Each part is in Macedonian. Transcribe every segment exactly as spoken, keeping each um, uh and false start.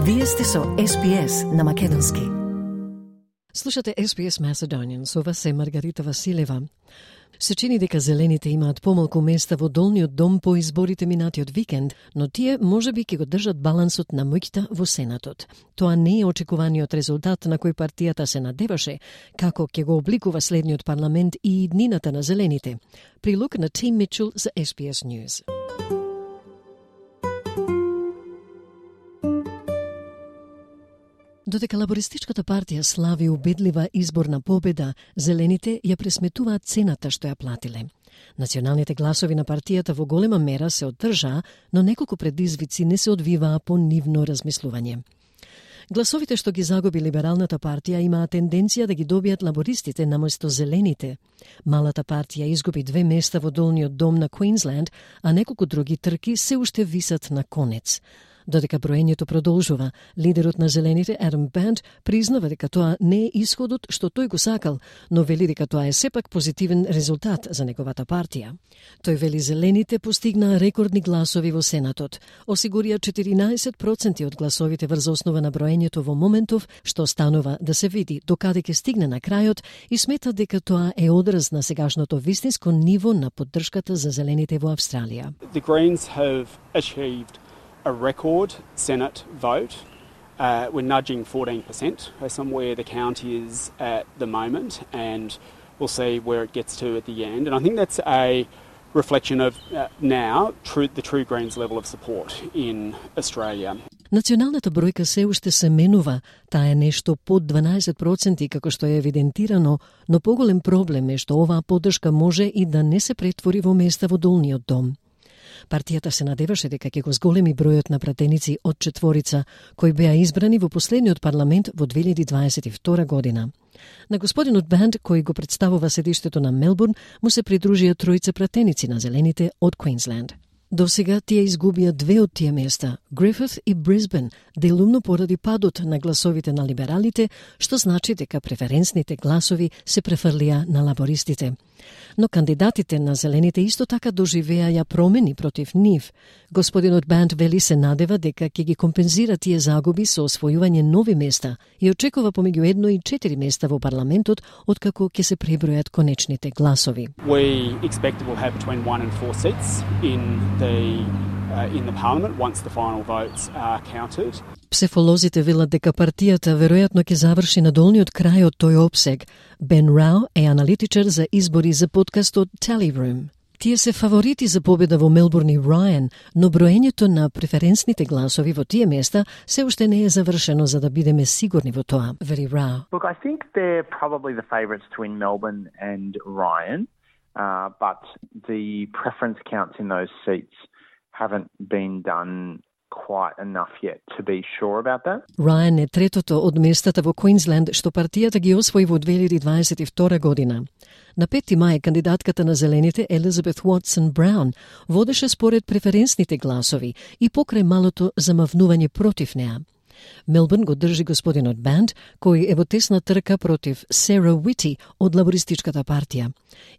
Вие сте со Ес Би Ес на македонски. Слушате Ес Би Ес Macedonian, со вас е Маргарита Василева. Се чини дека зелените имаат помалку места во долниот дом по изборите минатиот викенд, но тие можеби ќе го држат балансот на моќта во Сенатот. Тоа не е очекуваниот резултат на кој партијата се надеваше, како ќе го обликува следниот парламент и иднината на зелените. Прилог на Тим Мичел за Ес Би Ес News. Додека лабористичката партија слави убедлива изборна победа, зелените ја пресметуваат цената што ја платиле. Националните гласови на партијата во голема мера се одржаа, но неколку предизвици не се одвиваа по нивно размислување. Гласовите што ги загуби либералната партија имаа тенденција да ги добијат лабористите наместо зелените. Малата партија изгуби две места во долниот дом на Квинсленд, а неколку други трки се уште висат на конец. Додека броењето продолжува, лидерот на зелените Адам Банд признава дека тоа не е исходот што тој го сакал, но вели дека тоа е сепак позитивен резултат за неговата партија. Тој вели зелените постигнаа рекордни гласови во Сенатот, осигурија четиринаесет проценти од гласовите врз основа на броењето во моментов, што станува да се види докаде ќе стигне на крајот и смета дека тоа е одраз на сегашното вистинско ниво на поддршката за зелените во Австралија. The Greens have achieved a record Senate vote. Uh, we're nudging fourteen percent based on where the county is at the moment, and we'll see where it gets to at the end. And I think that's a reflection of uh, now true, the true Greens level of support in Australia. Националната бројка се уште се менува, таа е нешто под дванаесет проценти како што е евидентирано, но поголем проблем е што оваа поддршка може и да не се претвори во места во долниот дом. Партијата се надеваше дека ќе го зголеми бројот на пратеници од четворица, кои беа избрани во последниот парламент во две илјади дваесет и втора година. На господинот Банд, кој го представува седиштето на Мелбурн, му се придружија тројца пратеници на зелените од Квинсленд. До сега тие изгубија две од тие места, Грифит и Брисбен, делумно поради падот на гласовите на либералите, што значи дека преференсните гласови се префрлија на лабористите. Но кандидатите на зелените исто така доживеаја промени против нив. Господинот Банд вели се надева дека ќе ги компензира тие загуби со освојување нови места и очекува помеѓу едно и четири места во парламентот откако ќе се пребројат конечните гласови. We expect it will have between one and four seats in the uh, in the parliament once the final votes are counted. Псефолозите велат дека партијата веројатно ќе заврши на долниот крај од тој опсег. Бен Рау е аналитичар за избори за подкастот Tally Room. Тие се фаворити за победа во Мелбурн и Рајан, но броењето на преференсните гласови во тие места се уште не е завршено за да бидеме сигурни во тоа, вели Рау. Look, I think they're probably the favourites to win Melbourne and Ryan, uh, but the preference counts in those seats haven't been done quite enough yet to be sure about that. Рајан е третото од местата во Квинсленд што партијата ги освои во две илјади дваесет и втора година. На пети мај кандидатката на зелените Елизабет Уотсон Браун водеше според преференсните гласови и покрај малото замавнување против неа. Мелбурн го држи господинот Банд, кој е во тесна трка против Сара Уити од лабористичката партија.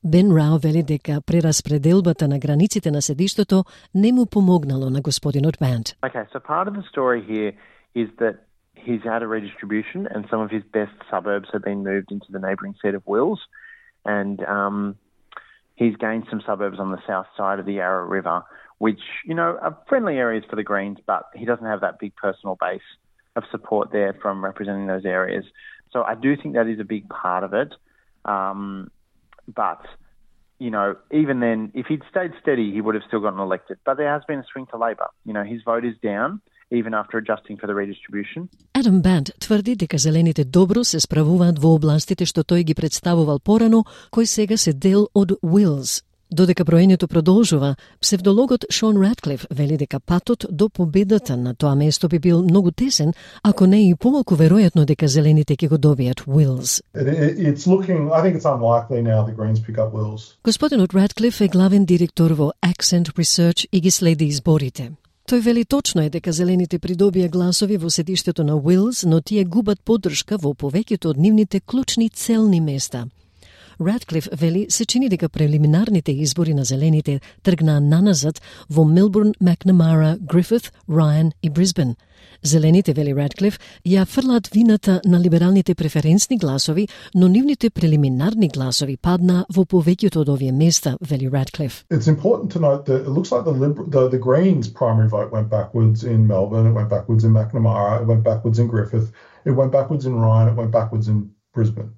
Бен Рау вели дека прераспределбата на границите на седиштето не му помогнало на господинот Банд. Okay, so part of the story here is that he's had a redistribution and some of his best suburbs have been moved into the neighbouring seat of Wills, and um, he's gained some suburbs on the south side of the Yarra River, which, you know, are friendly areas for the Greens, but he doesn't have that big personal base of support there from representing those areas. So I do think that is a big part of it. Um, but, you know, even then, if he'd stayed steady, he would have still gotten elected. But there has been a swing to Labor. You know, his vote is down, even after adjusting for the redistribution. Адам Банд тврди дека зелените добро се справуваат во областите што тој ги представувал порано, кои сега се дел од Уилс. Додека броењето продолжува, псевдологот Шон Ратклиф вели дека патот до победата на тоа место би бил многу тесен, ако не и помалку веројатно дека зелените ќе го добијат Уилс. It's looking, I think it's unlikely now the Greens pick up Wills. Господинот Ратклиф е главен директор во Accent Research и ги следи изборите. Тој вели точно е дека зелените придобија гласови во седиштето на Уилс, но тие губат поддршка во повеќето од нивните клучни целни места. Радклиф вели се чини дека прелиминарните избори на зелените тргнаа наназад во Мелбурн, Макнамара, Грифит, Райан и Брисбен. Зелените, вели Радклиф, ја фрлаат вината на либералните преференсни гласови, но нивните прелиминарни гласови паднаа во повеќето од овие места, вели Радклиф. It's important to note that it looks like the, Liber- the, the Greens' primary vote went backwards in Melbourne, it went backwards in Macnamara, it went backwards in Griffith, it went backwards in Ryan, it went backwards in Brisbane.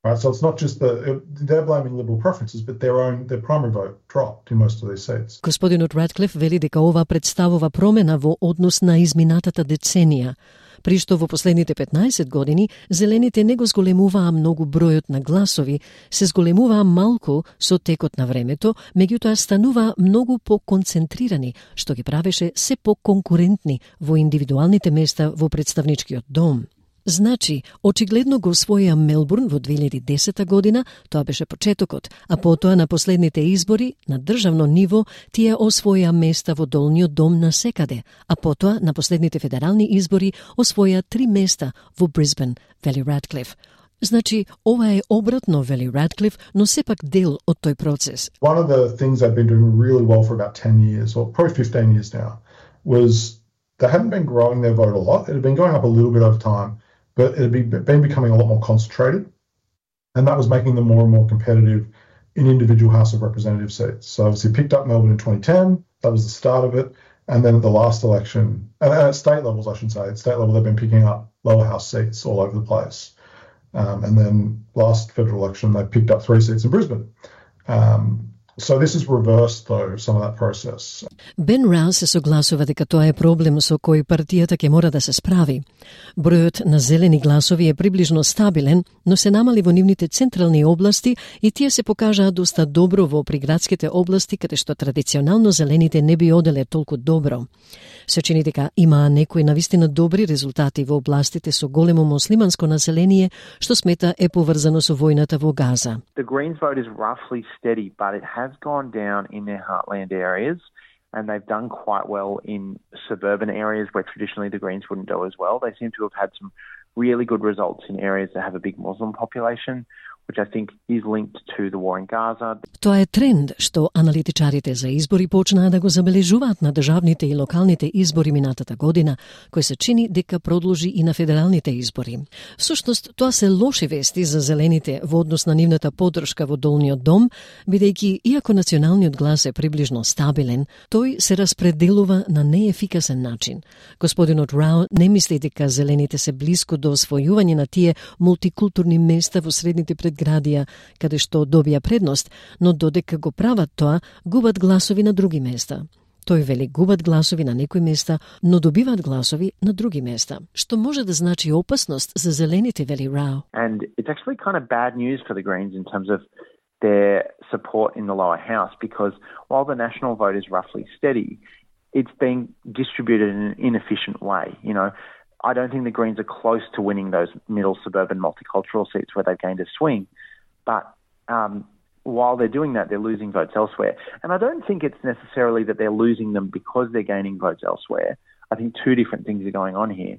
Right, so it's not just the they're blaming liberal preferences, but their own their primary vote dropped in most of these seats. Господинот Радклиф вели дека ова представува промена во однос на изминатата деценија, при што во последните петнаесет години зелените не го зголемуваа многу бројот на гласови, се зголемуваа малку со текот на времето, меѓутоа стануваа многу по-концентрирани, што ги правеше се по-конкурентни во индивидуалните места во представничкиот дом. Значи, очигледно го освоија Мелбурн во две илјади и десета година, тоа беше почетокот, а потоа на последните избори на државно ниво тие освоја места во долниот дом на секаде, а потоа на последните федерални избори освоја три места во Брисбен, вели Радклиф. Значи, ова е обратно, вели Радклиф, но сепак дел од тој процес. One of the things they've been doing really well for about ten years, or probably fifteen years now, was they hadn't been growing their vote a lot. It had been going up a little bit over time, but it had been becoming a lot more concentrated, and that was making them more and more competitive in individual House of Representatives seats. So obviously picked up Melbourne in twenty ten, that was the start of it, and then at the last election, and at state levels I should say, at state level they've been picking up lower house seats all over the place. Um, and then last federal election they picked up three seats in Brisbane. Um, So this is reversed, though, some of that process. Бен Раус се согласува дека тоа е проблем со кој партијата ќе мора да се справи. Бројот на зелени гласови е приближно стабилен, но се намали во нивните централни области и тие се покажаа доста добро во приградските области, каде што традиционално зелените не би оделе толку добро. Се чини дека имаа некои навистина добри резултати во областите со големо муслиманско население, што смета е поврзано со војната во Газа. The Greens vote is roughly steady, but it has gone down in their heartland areas, and they've done quite well in suburban areas where traditionally the Greens wouldn't do as well. They seem to have had some really good results in areas that have a big Muslim population, which I think is linked to the war in Gaza. Тоа е тренд што аналитичарите за избори почнаа да го забележуваат на државните и локалните избори минатата година, кој се чини дека продолжи и на федералните избори. Всушност, тоа се лоши вести за зелените во однос на нивната поддршка во долниот дом, бидејќи иако националниот глас е приближно стабилен, тој се распределува на неефикасен начин. Господинот Рау не мисли дека зелените се блиску до освојување на тие мултикултурни места во средните предградија, каде што добија предност, но додека го прават тоа, губат гласови на други места. Тој вели губат гласови на некои места, но добиваат гласови на други места, што може да значи опасност за зелените, вели Рау. And it's actually kind of bad news for the Greens in terms of their support in the lower house, because while the national vote is roughly steady, it's being distributed in an inefficient way. You know, I don't think the Greens are close to winning those middle suburban multicultural seats where they've gained a swing. But um, while they're doing that, they're losing votes elsewhere. And I don't think it's necessarily that they're losing them because they're gaining votes elsewhere. I think two different things are going on here.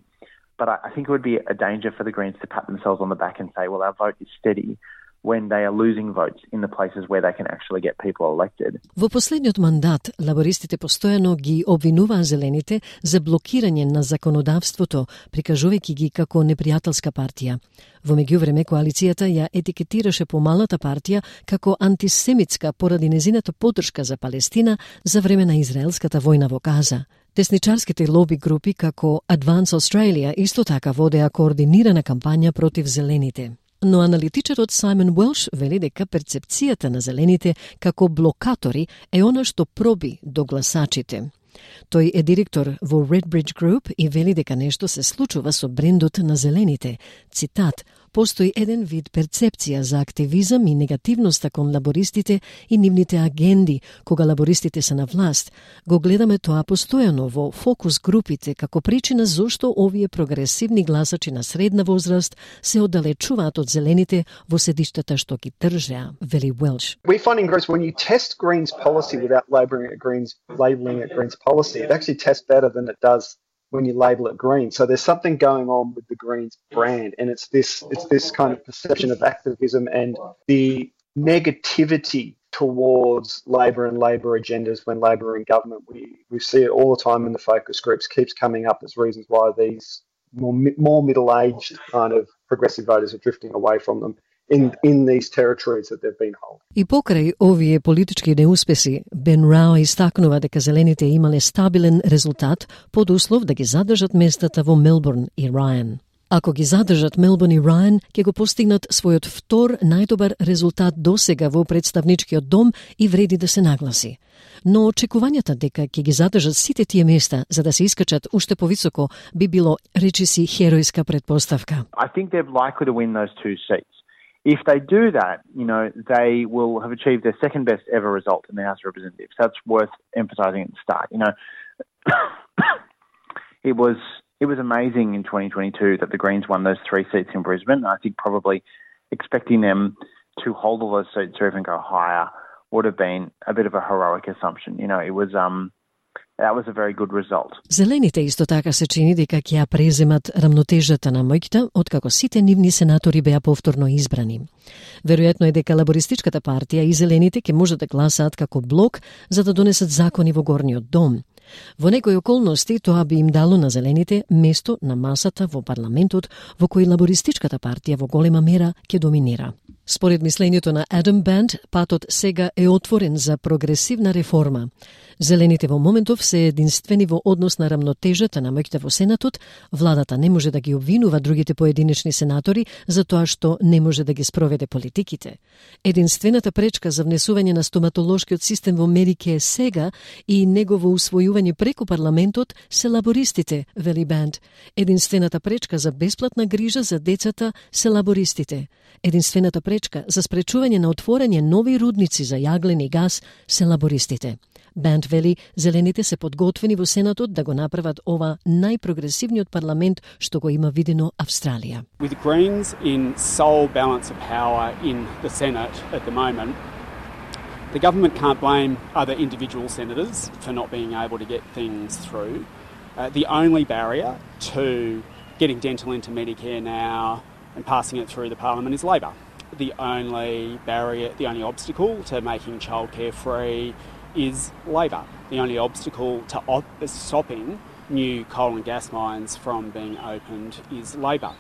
But I, I think it would be a danger for the Greens to pat themselves on the back and say, well, our vote is steady, when they are losing votes in the places where they can actually get people elected. Во последниот мандат, лабористите постојано ги обвинуваа зелените за блокирање на законодавството, прикажувајќи ги како непријателска партија. Во меѓувреме, коалицијата ја етикетираше помалата партија како антисемитска поради незината поддршка за Палестина за време на израелската војна во Газа. Десничарските лоби групи како Advance Australia исто така водеа координирана кампања против зелените. Но аналитичарот Саймон Уелш вели дека перцепцијата на зелените како блокатори е она што проби до гласачите. Тој е директор во Redbridge Group и вели дека нешто се случува со брендот на зелените. Цитат: постои еден вид перцепција за активизам и негативноста кон лабористите и нивните агенди кога лабористите се на власт. Го гледаме тоа постојано во фокус групите како причина зошто овие прогресивни гласачи на средна возраст се оддалечуваат од зелените во седиштата што ги држеа, вели Уелш. We find in Greens when you test Greens policy without labeling it Greens, labeling it Greens policy, it actually tests better than it does when you label it green. So there's something going on with the Greens brand, and it's this it's this kind of perception of activism and the negativity towards Labor and Labor agendas when Labor are in government. We we see it all the time in the focus groups, keeps coming up as reasons why these more, more middle-aged kind of progressive voters are drifting away from them in, in these territories that they've been holding. И покрај овие политички неуспеси, Бен Рао истакнува дека зелените имале стабилен резултат под услов да ги задржат местата во Мелбурн и Рајан. Ако ги задржат Мелбурн и Рајан, ќе го постигнат својот втор најдобар резултат досега во представничкиот дом и вреди да се нагласи. Но очекувањата дека ќе ги задржат сите тие места за да се искачат уште повисоко би било, речиси, херојска претпоставка. I think they're likely to win those two seats. If they do that, you know, they will have achieved their second best ever result in the House of Representatives. That's worth emphasising at the start. You know, it was it was amazing in twenty twenty-two that the Greens won those three seats in Brisbane. I think probably expecting them to hold all those seats or even go higher would have been a bit of a heroic assumption. You know, it was um that was a very good result. Зелените исто така се чини дека ќе ја преземат рамнотежата на моќта откако сите нивни сенатори беа повторно избрани. Веројатно е дека Лабористичката партија и Зелените ќе можат да гласаат како блок за да донесат закони во горниот дом. Во некои околности тоа би им дало на Зелените место на масата во парламентот во кој Лабористичката партија во голема мера ќе доминира. Според мислењето на Адам Банд, патот сега е отворен за прогресивна реформа. Зелените во моментов се единствени во однос на рамнотежата на моќта во Сенатот, владата не може да ги обвинува другите поединечни сенатори за тоа што не може да ги спроведе политиките. Единствената пречка за внесување на стоматолошкиот систем во Медике сега и негово усвојување преку парламентот се лабористите, вели Банд. Единствената пречка за бесплатна грижа за децата се лабористите. Единствената пречка за спречување на отворање нови рудници за јаглен и газ се лабористите. Банд вели, Зелените се подготвени во Сенатот да го направат ова најпрогресивниот парламент што го има видено Австралија. With Greens in sole balance of power in the Senate at the moment, the government can't blame other individual senators for not being able to get things through. Uh, the only barrier to getting dental into Medicare now and passing it through the parliament is Labor. The only barrier, the only obstacle to making childcare free is Labor. The only obstacle to op- stopping new coal and gas mines from being opened is Labor.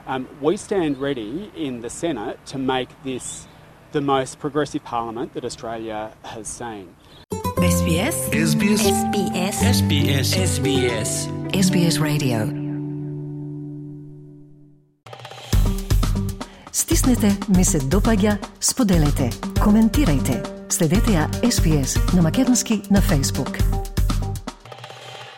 Um, we stand ready in the Senate to make this the most progressive parliament that Australia has seen. S B S S B S S B S S B S S B S S B S Radio. Стиснете, ми се допаѓа, споделете, коментирајте. Следете ја С Б С на македонски на Facebook.